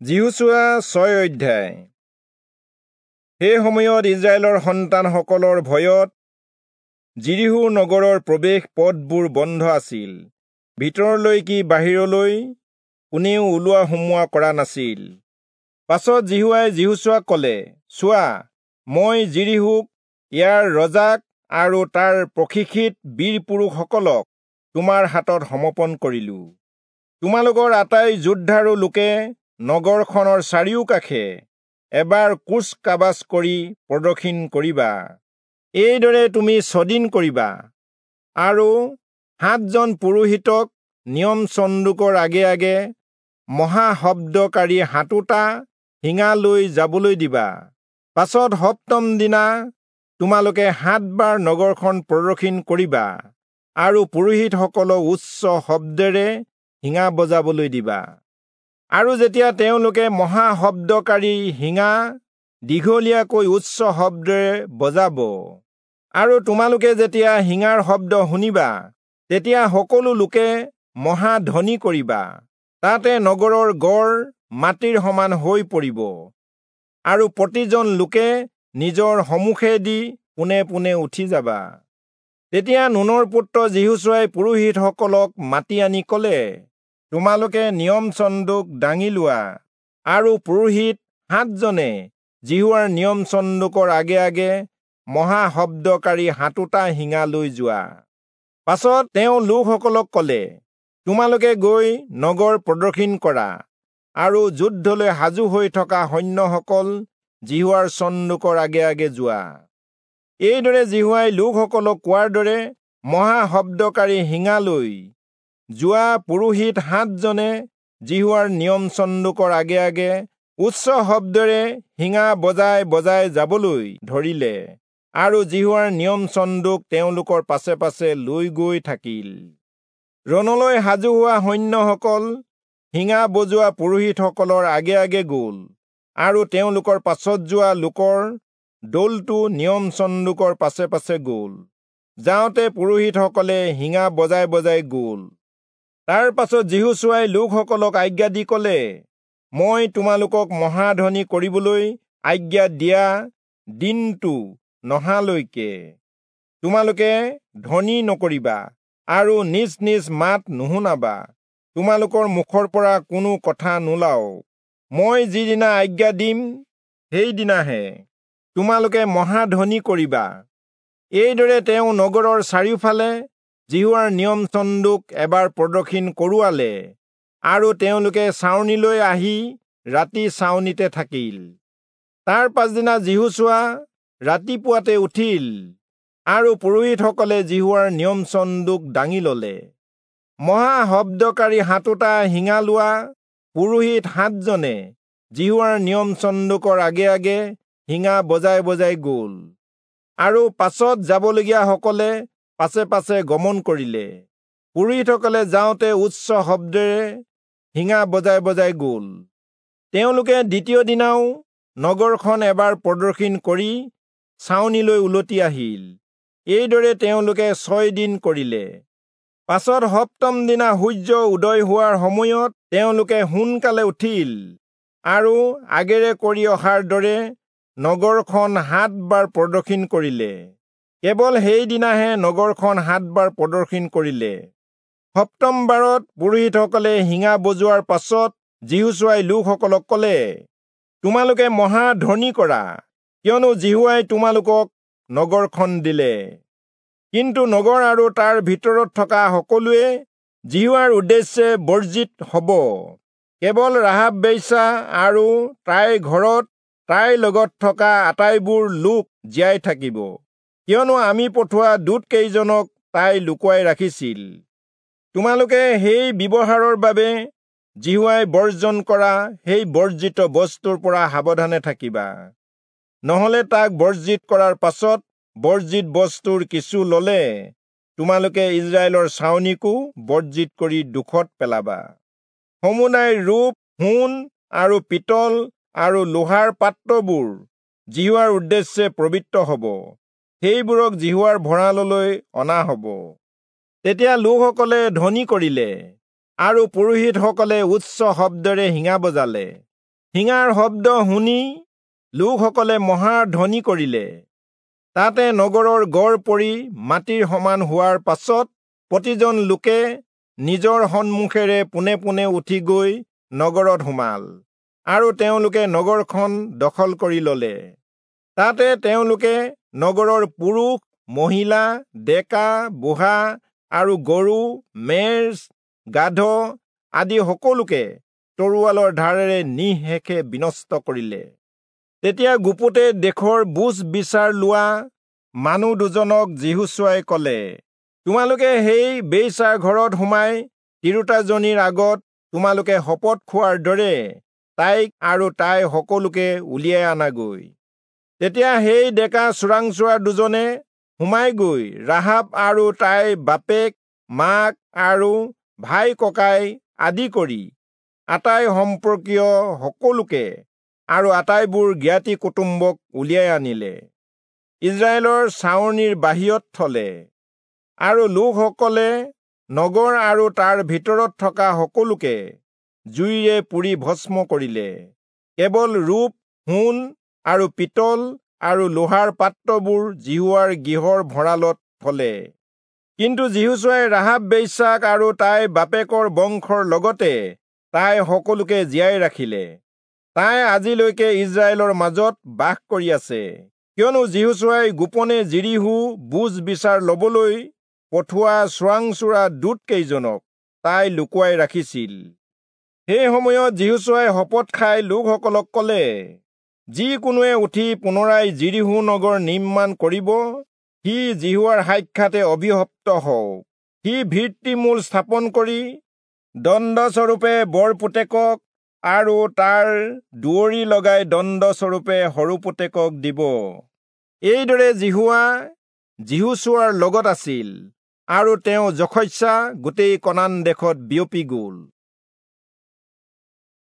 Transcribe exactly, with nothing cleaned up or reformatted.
যিহোচূৱা ছয় অধ্যায়। সেই সময়ত ইস্ৰায়েলৰ সন্তানসকলৰ ভয়ত যিৰীহো নগৰৰ প্ৰৱেশ পথবোৰ বন্ধ আছিল, ভিতৰলৈ কি বাহিৰলৈ কোনেও ওলোৱা সোমোৱা কৰা নাছিল। পাছত যিহোৱাই যিহোচূৱাক কলে, চোৱা, মই যিৰীহোক, ইয়াৰ ৰজাক আৰু তাৰ প্ৰশিক্ষিত বীৰ পুৰুষসকলক তোমাৰ হাতত সমৰ্পণ কৰিলো। তোমালোকৰ আটাই যোদ্ধাৰু লোকে নগৰখনৰ চাৰিওকাষে এবাৰ কুচ কাবাজ কৰি প্ৰদক্ষিণ কৰিবা। এইদৰে তুমি ছদিন কৰিবা আৰু সাতজন পুৰোহিতক নিয়ম চন্দুকৰ আগে আগে মহাশব্দকাৰী সাতোটা শিঙা লৈ যাবলৈ দিবা। পাছত সপ্তম দিনা তোমালোকে সাতবাৰ নগৰখন প্ৰদক্ষিণ কৰিবা আৰু পুৰোহিতসকলক উচ্চ শব্দেৰে শিঙা বজাবলৈ দিবা। আৰু যেতিয়া তেওঁলোকে মহাশব্দকাৰী শিঙা দীঘলীয়াকৈ উচ্চ শব্দেৰে বজাব আৰু তোমালোকে যেতিয়া শিঙাৰ শব্দ শুনিবা, তেতিয়া সকলো লোকে মহাধ্বনি কৰিবা। তাতে নগৰৰ গড় মাটিৰ সমান হৈ পৰিব আৰু প্ৰতিজন লোকে নিজৰ সমুখেদি পোনে পোনে উঠি যাবা। তেতিয়া নুনৰ পুত্ৰ যিহোচূৱাই পুৰোহিতসকলক মাতি আনি কলে, তোমালোকে নিয়ম চন্দুক দাঙি লোৱা আৰু পুৰোহিত সাতজনে যিহোৱাৰ নিয়ম চন্দুকৰ আগে আগে মহাশব্দকাৰী সাতোটা শিঙা লৈ যোৱা। পাছত তেওঁ লোকসকলক কলে, তোমালোকে গৈ নগৰ প্ৰদক্ষিণ কৰা আৰু যুদ্ধলৈ সাজু হৈ থকা সৈন্যসকল যিহোৱাৰ চন্দুকৰ আগে আগে যোৱা। এইদৰে যিহোৱাই লোকসকলক কোৱাৰ দৰে মহাশব্দকাৰী শিঙা লৈ যোৱা পুৰোহিত সাতজনে যিহোৱাৰ নিয়ম চন্দুকৰ আগে আগে উচ্চ শব্দেৰে শিঙা বজাই বজাই যাবলৈ ধৰিলে আৰু যিহোৱাৰ নিয়ম চন্দুক তেওঁলোকৰ পাছে পাছে লৈ গৈ থাকিল। ৰণলৈ সাজু হোৱা সৈন্যসকল শিঙা বজোৱা পুৰোহিতসকলৰ আগে আগে গ'ল আৰু তেওঁলোকৰ পাছত যোৱা লোকৰ দলটো নিয়ম চন্দুকৰ পাছে পাছে গ'ল। যাওঁতে পুৰোহিতসকলে শিঙা বজাই বজাই গ'ল। তাৰ পাছত যিহোচূৱাই লোকসকলক আজ্ঞা দি কলে, মই তোমালোকক মহাধ্বনি কৰিবলৈ আজ্ঞা দিয়া দিনটো নহালৈকে তোমালোকে ধ্বনি নকৰিবা আৰু নিজ নিজ মাত নুশুনাবা। তোমালোকৰ মুখৰ পৰা কোনো কথা নোলাওক। মই যিদিনা আজ্ঞা দিম সেইদিনাহে তোমালোকে মহাধ্বনি কৰিবা। এইদৰে তেওঁ নগৰৰ চাৰিওফালে যিহোৱাৰ নিয়ম চন্দুক এবাৰ প্ৰদক্ষিণ কৰোৱালে আৰু তেওঁলোকে ছাউনিলৈ আহি ৰাতি ছাউনিতে থাকিল। তাৰ পাছদিনা যিহোচূৱা ৰাতিপুৱাতে উঠিল আৰু পুৰোহিতসকলে যিহোৱাৰ নিয়ম চন্দুক দাঙি ললে। মহাশব্দকাৰী সাতোটা শিঙা লোৱা পুৰোহিত সাতজনে যিহোৱাৰ নিয়ম চন্দুকৰ আগে আগে শিঙা বজাই বজাই গ'ল আৰু পাছত যাবলগীয়াসকলে পাছে পাছে গমন কৰিলে। পুৰোহিতসকলে যাওঁতে উচ্চ শব্দেৰে শিঙা বজাই বজাই গ'ল। তেওঁলোকে দ্বিতীয় দিনাও নগৰখন এবাৰ প্ৰদক্ষিণ কৰি ছাউনিলৈ উলটি আহিল। এইদৰে তেওঁলোকে ছয় দিন কৰিলে। পাছত সপ্তম দিনা সূৰ্য উদয় হোৱাৰ সময়ত তেওঁলোকে সোনকালে উঠিল আৰু আগেৰে কৰি অহাৰ দৰে নগৰখন সাতবাৰ প্ৰদক্ষিণ কৰিলে। কেৱল সেইদিনাহে নগৰখন সাতবাৰ প্ৰদক্ষিণ কৰিলে। সপ্তমবাৰত পুৰোহিতসকলে শিঙা বজোৱাৰ পাছত যিহোচূৱাই লোকসকলক কলে, তোমালোকে মহাধ্বনি কৰা, কিয়নো যিহোৱাই তোমালোকক নগৰখন দিলে। কিন্তু নগৰ আৰু তাৰ ভিতৰত থকা সকলোৱে যিহোৱাৰ উদ্দেশ্যে বৰ্জিত হব। কেৱল ৰাহাব বেশ্যা আৰু তাইৰ ঘৰত তাইৰ লগত থকা আটাইবোৰ লোক জীয়াই থাকিব, কিয়নো আমি পঠোৱা দূতকেইজনক তাই লুকুৱাই ৰাখিছিল। তোমালোকে সেই ব্যৱহাৰৰ বাবে যিহোৱাই বৰ্জন কৰা সেই বৰ্জিত বস্তুৰ পৰা সাৱধানে থাকিবা, নহলে তাক বৰ্জিত কৰাৰ পাছত বৰ্জিত বস্তুৰ কিছু ললে তোমালোকে ইস্ৰায়েলৰ ছাউনিকো বৰ্জিত কৰি দুখত পেলাবা। সমুদায় ৰূপ, সোণ আৰু পিতল আৰু লোহাৰ পাত্ৰবোৰ যিহোৱাৰ উদ্দেশ্যে পবিত্ৰ হব, সেইবোৰক যিহোৱাৰ ভঁৰাললৈ অনা হব। তেতিয়া লোকসকলে ধ্বনি কৰিলে আৰু পুৰোহিতসকলে উচ্চ শব্দেৰে শিঙা বজালে। শিঙাৰ শব্দ শুনি লোকসকলে মহাধ্বনি কৰিলে। তাতে নগৰৰ গড় পৰি মাটিৰ সমান হোৱাৰ পাছত প্ৰতিজন লোকে নিজৰ সন্মুখেৰে পোনে পোনে উঠি গৈ নগৰত সোমাল আৰু তেওঁলোকে নগৰখন দখল কৰি ললে। তাতে তেওঁলোকে নগৰৰ পুৰুষ, মহিলা, ডেকা, বুঢ়া আৰু গৰু, মেৰ, গাধ আদি সকলোকে তৰোৱালৰ ধাৰেৰে নিঃশেষে বিনষ্ট কৰিলে। তেতিয়া গুপুতে দেশৰ বুজ বিচাৰ লোৱা মানুহ দুজনক যিহোচূৱাই কলে, তোমালোকে সেই বেশ্যাৰ ঘৰত সোমাই তিৰোতাজনীৰ আগত তোমালোকে শপত খোৱাৰ দৰে তাইক আৰু তাই সকলোকে উলিয়াই আনাগৈ। তেতিয়া সেই ডেকা চোৰাংচোৱা দুজনে সোমাই গৈ ৰাহাব আৰু তাইৰ বাপেক, মাক আৰু ভাই ককাই আদি কৰি আটাই সম্পৰ্কীয় সকলোকে আৰু আটাইবোৰ জ্ঞাতি কুটুম্বক উলিয়াই আনিলে, ইজৰাইলৰ ছাউনিৰ বাহিৰত থলে। আৰু লোকসকলে নগৰ আৰু তাৰ ভিতৰত থকা সকলোকে জুইৰে পুৰি ভস্ম কৰিলে। কেৱল ৰূপ, সোণ আৰু পিতল আৰু লোহাৰ পাত্ৰবোৰ যিহোৱাৰ গৃহৰ ভঁৰালত থলে। কিন্তু যিহোচূৱাই ৰাহাব বেশ্যাক আৰু তাইৰ বাপেকৰ বংশৰ লগতে তাই সকলোকে জীয়াই ৰাখিলে। তাই আজিলৈকে ইজৰাইলৰ মাজত বাস কৰি আছে, কিয়নো যিহোচূৱাই গোপনে যিৰীহো বুজ বিচাৰ লবলৈ পঠোৱা চোৰাংচোৰা দূতকেইজনক তাই লুকুৱাই ৰাখিছিল। সেই সময়ত যিহোচূৱাই শপত খাই লোকসকলক কলে, যিকোনোৱে উঠি পুনৰাই যিৰীহো নগৰ নিৰ্মাণ কৰিব, সি যিহোৱাৰ সাক্ষাতে অভিশপ্ত হওক। সি ভিত্তিমূল স্থাপন কৰি দণ্ডস্বৰূপে বৰ পুতেকক আৰু তাৰ দুৱৰি লগাই দণ্ডস্বৰূপে সৰু পুতেকক দিব। এইদৰে যিহোৱা যিহোচূৱাৰ লগত আছিল আৰু তেওঁ যশস্যা গোটেই কনান দেশত বিয়পি গ'ল।